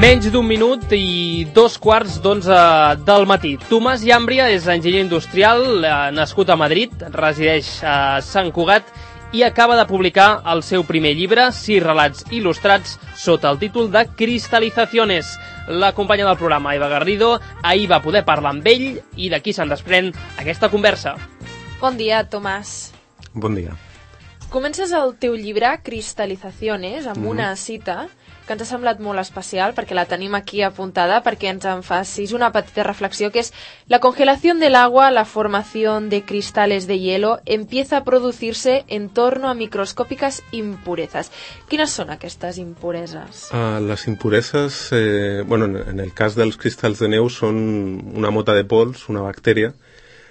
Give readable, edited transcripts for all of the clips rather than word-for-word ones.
Menys d'un minut i 2:15 del matí. Tomàs Llàmbria és enginyer industrial, nascut a Madrid, resideix a Sant Cugat i acaba de publicar el seu primer llibre, 6 relats il·lustrats, sota el títol de Cristalizaciones. La companya del programa, Eva Garrido, ahir va poder parlar amb ell i d'aquí se'n desprèn aquesta conversa. Bon dia, Tomàs. Bon dia. Comences el teu llibre, Cristalizaciones, amb una cita que ens ha semblat molt especial perquè la tenim aquí apuntada perquè ens en facis una petita reflexió, que és: la congelación del agua, la formación de cristales de hielo empieza a producirse en torno a microscópicas impurezas. Quines són aquestes impureses? Les impureses, en el cas dels cristalls de neu, són una mota de pols, una bactèria,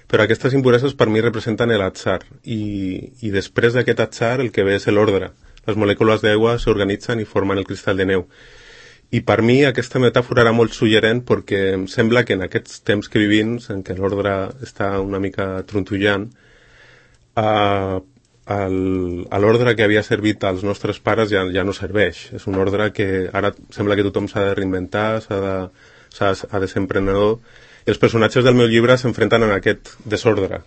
però aquestes impureses per mi representen l'atzar i després d'aquest atzar el que ve és l'ordre. Les molècules d'aigua s'organitzen i formen el cristall de neu. I per mi aquesta metàfora era molt suggerent perquè em sembla que en aquests temps que vivim, en què l'ordre està una mica trontollant, l'ordre que havia servit als nostres pares ja no serveix. És un ordre que ara sembla que tothom s'ha de reinventar, ha de ser emprenedor, i els personatges del meu llibre s'enfrenten en aquest desordre.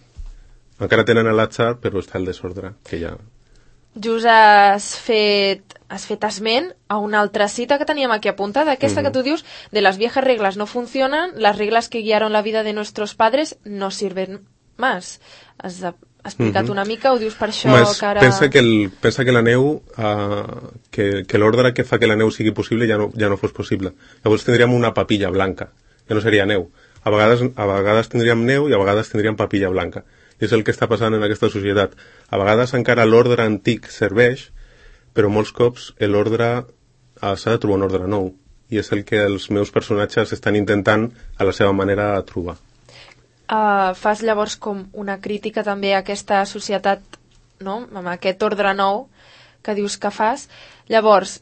Encara tenen l'atzar, però està el desordre, que ja... Just has fet esment a una altra cita que teníem aquí apuntada, aquesta que tu dius: de las viejas reglas no funcionan, las reglas que guiaron la vida de nuestros padres no sirven más. Has explicat una mica, ho dius per això que ara... Pensa que la neu, que l'ordre que fa que la neu sigui possible ja no fos possible. Llavors tindríem una papilla blanca, ja no seria neu. A vegades tindríem neu i a vegades tindríem papilla blanca. És el que està passant en aquesta societat. A vegades encara l'ordre antic serveix, però molts cops l'ordre s'ha de trobar un ordre nou. I és el que els meus personatges estan intentant a la seva manera de trobar. Fas llavors com una crítica també a aquesta societat, no?, amb aquest ordre nou que dius que fas. Llavors,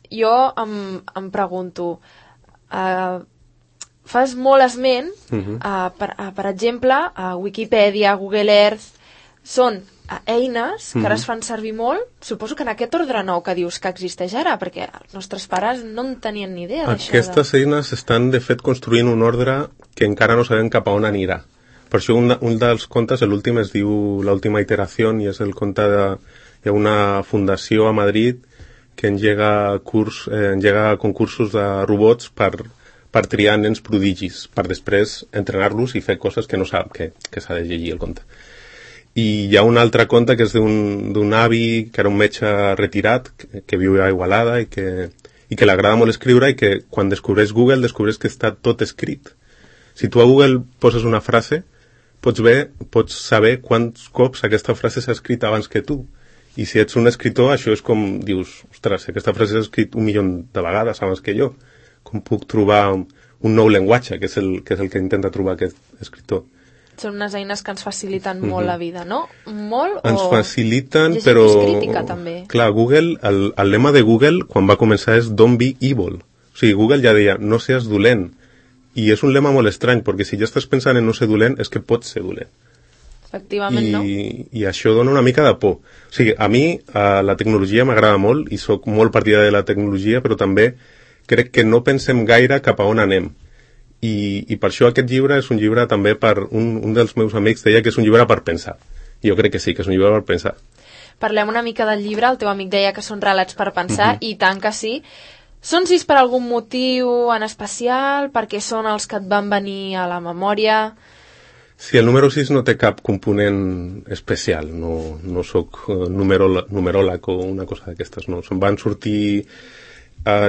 jo em pregunto... Fas molt esment, per exemple, a Wikipedia, Google Earth, són eines que ara es fan servir molt, suposo que en aquest ordre nou que dius que existeix ara, perquè els nostres pares no en tenien ni idea d'això. Aquestes eines estan, de fet, construint un ordre que encara no sabem cap a on anirà. Per això un dels contes, l'últim, es diu L'última iteració, i és el conte hi ha una fundació a Madrid que engega concursos de robots per triar nens prodigis, per després entrenar-los i fer coses que no sap que s'ha de llegir el conte. I hi ha un altre conte que és d'un avi que era un metge retirat, que viu a Igualada i que l'agrada molt escriure, i que quan descobreix Google descobreix que està tot escrit. Si tu a Google poses una frase, pots saber quants cops aquesta frase s'ha escrit abans que tu. I si ets un escriptor, això és com dius: ostres, aquesta frase s'ha escrit 1 milió de vegades abans que jo. Com puc trobar un nou llenguatge, que és el que intenta trobar aquest escriptor. Són unes eines que ens faciliten molt la vida, no? Molt, o... Ens faciliten, però... És crítica, també. Clar, Google, el lema de Google, quan va començar, és Don't be evil. O sigui, Google ja deia, no seas dolent. I és un lema molt estrany, perquè si ja estàs pensant en no ser dolent, és que pots ser dolent. Efectivament, no? I això dona una mica de por. O sigui, a mi la tecnologia m'agrada molt, i sóc molt partidari de la tecnologia, però també crec que no pensem gaire cap a on anem. I per això aquest llibre és un llibre també per... Un dels meus amics deia que és un llibre per pensar. Jo crec que sí, que és un llibre per pensar. Parlem una mica del llibre. El teu amic deia que són relats per pensar, i tant que sí. Són 6 per algun motiu en especial? Perquè són els que et van venir a la memòria? Sí, el número 6 no té cap component especial. No soc numeròleg o una cosa d'aquestes. No. Se'n van sortir...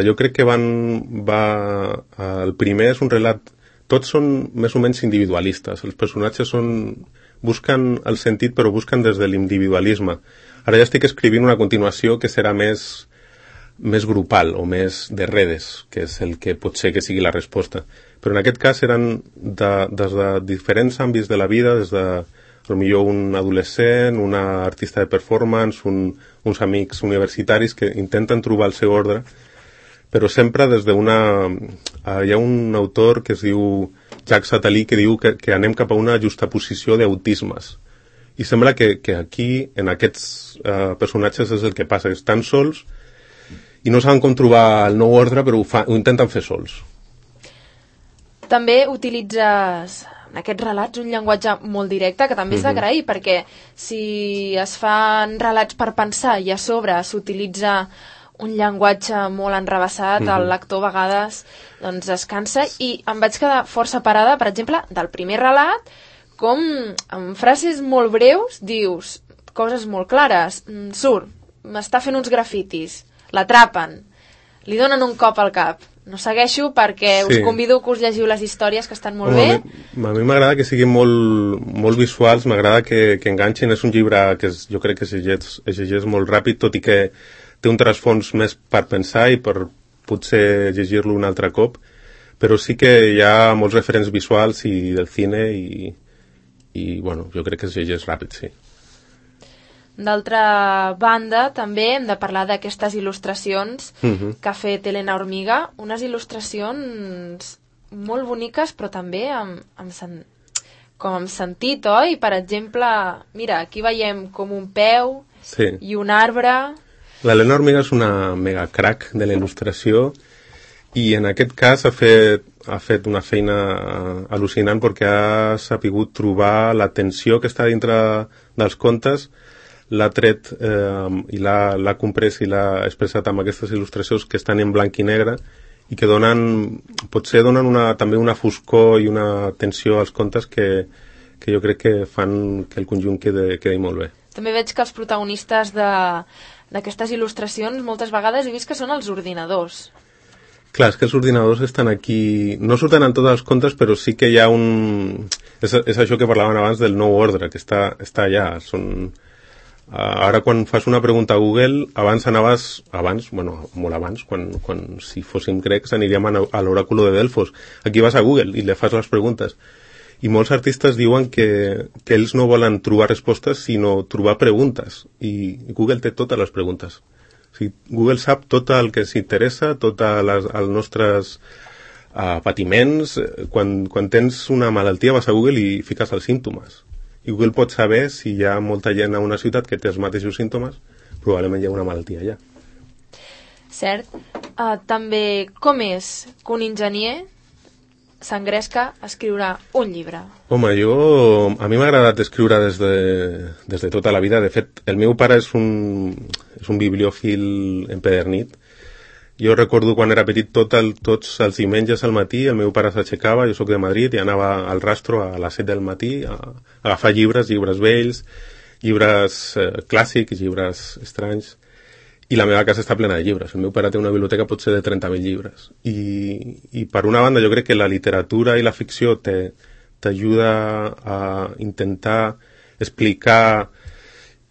jo crec que el primer és un relat, tots són més o menys individualistes, els personatges busquen el sentit però busquen des de l'individualisme. Ara ja estic escrivint una continuació que serà més grupal o més de redes, que és el que pot ser que sigui la resposta, però en aquest cas eren des de diferents àmbits de la vida, des de potser un adolescent, una artista de performance, uns amics universitaris que intenten trobar el seu ordre, però sempre des d'una... Hi ha un autor que es diu Jacques Attali que diu que anem cap a una justaposició d'autismes. I sembla que aquí, en aquests personatges, és el que passa, que estan sols i no saben com trobar el nou ordre, però ho intenten fer sols. També utilitzes en aquests relats un llenguatge molt directe, que també és d'agrair, perquè si es fan relats per pensar i a sobre s'utilitza un llenguatge molt enrevessat, el lector a vegades doncs, es cansa, i em vaig quedar força parada, per exemple, del primer relat, com amb frases molt breus dius coses molt clares. Surt, m'està fent uns grafitis, l'atrapen, li donen un cop al cap. No segueixo perquè us convido que us llegiu les històries, que estan molt bé. A mi m'agrada que siguin molt visuals, m'agrada que enganxin. És un llibre que jo crec que es llegeix molt ràpid, tot i que té un trasfons més per pensar i per potser llegir-lo un altre cop, però sí que hi ha molts referents visuals i del cine i bueno, jo crec que es llegeix ràpid, sí. D'altra banda, també hem de parlar d'aquestes il·lustracions que ha fet Elena Hormiga, unes il·lustracions molt boniques, però també amb sentit, oi? Per exemple, mira, aquí veiem com un peu i un arbre. L'Elena Hormiga és una mega crack de la il·lustració i en aquest cas ha fet una feina al·lucinant perquè ha sapigut trobar la tensió que està dintre dels contes, l'ha tret i l'ha comprès i l'ha expressat amb aquestes il·lustracions que estan en blanc i negre i que potser donen també una foscor i una tensió als contes que jo crec que fan que el conjunt quedi molt bé. També veig que els protagonistes d'aquestes il·lustracions moltes vegades he vist que són els ordinadors. Clar, és que els ordinadors estan aquí... No surten en tots els contes, però sí que hi ha un... És això que parlaven abans del nou ordre, que està allà. Ara quan fas una pregunta a Google, abans, molt abans, quan si fóssim grecs aniríem a l'oràculo de Delfos. Aquí vas a Google i le fas les preguntes. I molts artistes diuen que ells no volen trobar respostes, sinó trobar preguntes. I Google té totes les preguntes. O sigui, Google sap tot el que s'interessa, tots els nostres patiments. Quan tens una malaltia vas a Google i fiques els símptomes. I Google pot saber si hi ha molta gent a una ciutat que té els mateixos símptomes, probablement hi ha una malaltia allà. Cert. També, com és que un enginyer s'engresca a escriure un llibre? Home, a mi m'ha agradat escriure des de tota la vida. De fet, el meu pare és un bibliòfil empedernit. Jo recordo quan era petit tots els diumenges al matí el meu pare s'aixecava, jo soc de Madrid, i anava al Rastro a les 7 del matí a agafar llibres vells, llibres clàssics, llibres estranys, i la meva casa està plena de llibres. El meu pare té una biblioteca potser de 30.000 llibres. I per una banda jo crec que la literatura i la ficció t'ajuda a intentar explicar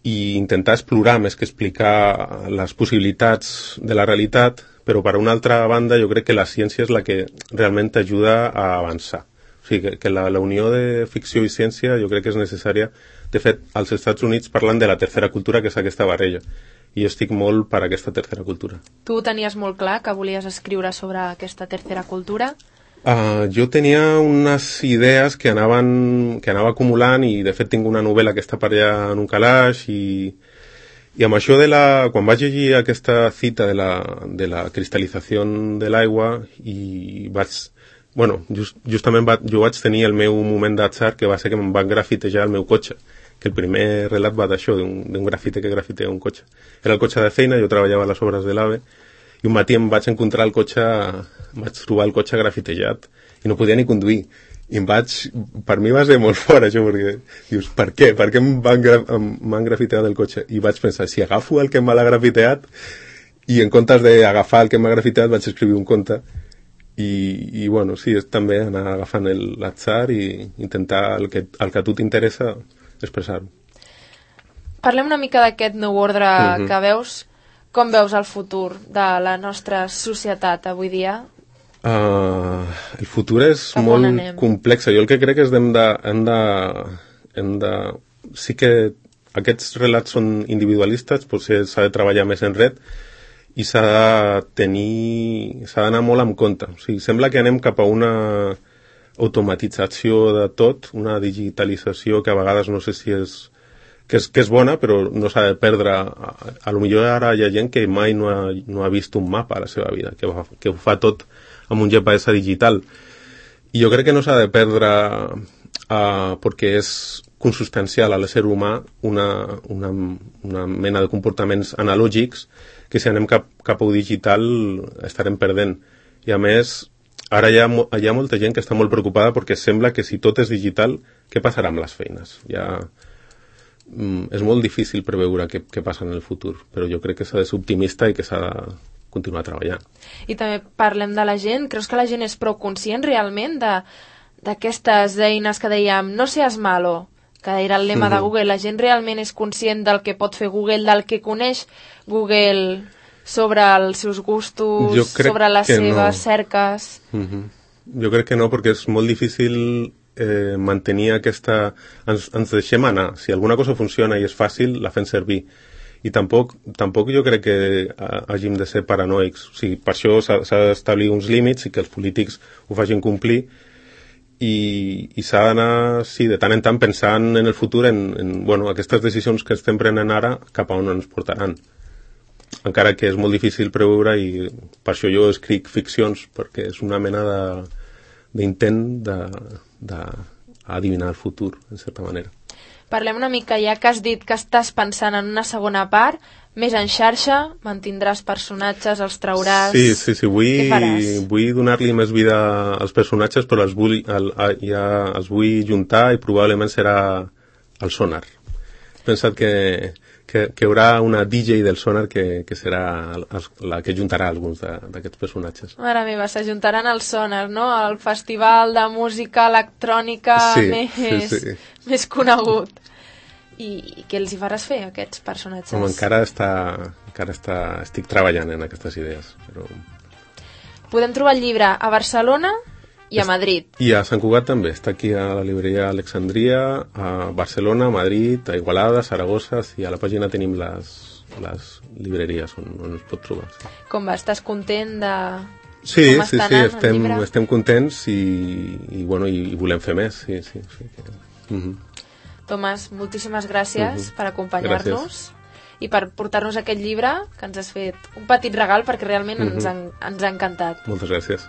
i intentar explorar més que explicar les possibilitats de la realitat, però per una altra banda jo crec que la ciència és la que realment t'ajuda a avançar. O sigui, que la unió de ficció i ciència jo crec que és necessària. De fet, als Estats Units parlen de la tercera cultura, que és aquesta barreja, i jo estic molt per aquesta tercera cultura. Tu tenies molt clar que volies escriure sobre aquesta tercera cultura? Jo tenia unes idees que anava acumulant i de fet tinc una novel·la que està per allà en un calaix i amb això quan vaig llegir aquesta cita de la cristal·lització de l'aigua i justament jo vaig tenir el meu moment d'atzar, que va ser que em van grafitejar el meu cotxe, que el primer relat va d'això, d'un grafite que grafitea un cotxe. Era el cotxe de feina, jo treballava a les obres de l'AVE, i un matí em vaig encontrar vaig trobar el cotxe grafitejat i no podia ni conduir. I per mi va ser molt fort això, perquè dius, per què? Per què m'han grafiteat el cotxe? I vaig pensar, si agafo el que m'ha grafiteat, i en comptes d'agafar el que m'ha grafiteat vaig escriure un conte. I bueno, sí, és també anar agafant l'atzar i intentar el que a tu t'interessa expressar-ho. Parlem una mica d'aquest nou ordre que veus. Com veus el futur de la nostra societat avui dia? El futur és molt complex. Jo el que crec és que sí que aquests relats són individualistes, potser s'ha de treballar més en red i s'ha d'anar molt amb compte. O sigui, sembla que anem cap a una automatització de tot, una digitalització que a vegades no sé si és que és bona, però no s'ha de perdre. A lo millor ara hi ha gent que mai no ha vist un mapa a la seva vida, que ho fa tot amb un GPS digital. I jo crec que no s'ha de perdre perquè és consustancial a l'ésser humà una mena de comportaments analògics que si anem cap a un digital estarem perdent. I a més, ara hi ha molta gent que està molt preocupada perquè sembla que si tot és digital, què passarà amb les feines? És molt difícil preveure què passa en el futur, però jo crec que s'ha de ser optimista i que s'ha de continuar treballant. I també parlem de la gent. Creus que la gent és prou conscient realment d'aquestes eines que dèiem no seas malo, que era el lema de Google? La gent realment és conscient del que pot fer Google, del que coneix Google sobre els seus gustos, sobre les seves cerques? Jo crec que no, perquè és molt difícil mantenir aquesta... Ens deixem anar. Si alguna cosa funciona i és fàcil, la fem servir. I tampoc jo crec que hàgim de ser paranoics. O sigui, per això s'ha d'establir uns límits i que els polítics ho facin complir i s'ha d'anar, sí, de tant en tant pensant en el futur, en aquestes decisions que estem prenent ara, cap a on ens portaran. Encara que és molt difícil preveure i per això jo escric ficcions, perquè és una mena d'intent d'adivinar el futur, en certa manera. Parlem una mica, ja que has dit que estàs pensant en una segona part, més en xarxa, mantindràs personatges, els trauràs... Sí, vull donar-li més vida als personatges, però els vull juntar i probablement serà el Sonar. He pensat que hi haurà una DJ del Sonar que serà la que juntarà alguns d'aquests personatges. Mare meva, s'ajuntaran al Sonar, no? El festival de música electrònica més conegut. I què els hi faràs fer, aquests personatges? Encara estic treballant en aquestes idees. Però... Podem trobar el llibre a Barcelona i a Madrid. I a Sant Cugat també. Està aquí a la libreria Alexandria, a Barcelona, a Madrid, a Igualada, a Saragossa, i a la pàgina tenim les libreries on es pot trobar. Sí. Com va? Estàs content de... Sí, estem contents i volem fer més. Sí. Tomàs, moltíssimes gràcies per acompanyar-nos i per portar-nos aquest llibre, que ens has fet un petit regal perquè realment ens ha encantat. Moltes gràcies.